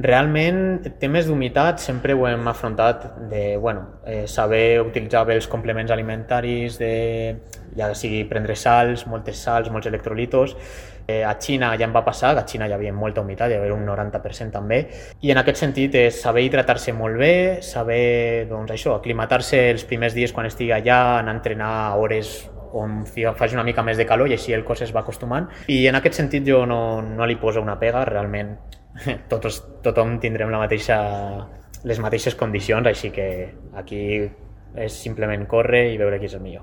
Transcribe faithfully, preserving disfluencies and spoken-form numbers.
Realment, temes d'humitat sempre ho hem afrontat de, bueno, eh, saber utilitzar bé els complements alimentaris, de, ja sigui prendre sals, moltes sals, molts electrolitos. Eh, a Xina ja em va passar, que a Xina hi havia molta humitat, hi havia un noranta per cent també, i en aquest sentit és saber hidratar-se molt bé, saber, doncs això, aclimatar-se els primers dies quan estigui allà, anar a entrenar a hores on faci una mica més de calor i així el cos es va acostumant. I en aquest sentit jo no, no li poso una pega, realment tots, tothom tindrem la mateixa, les mateixes condicions, així que aquí és simplement córrer i veure qui és el millor.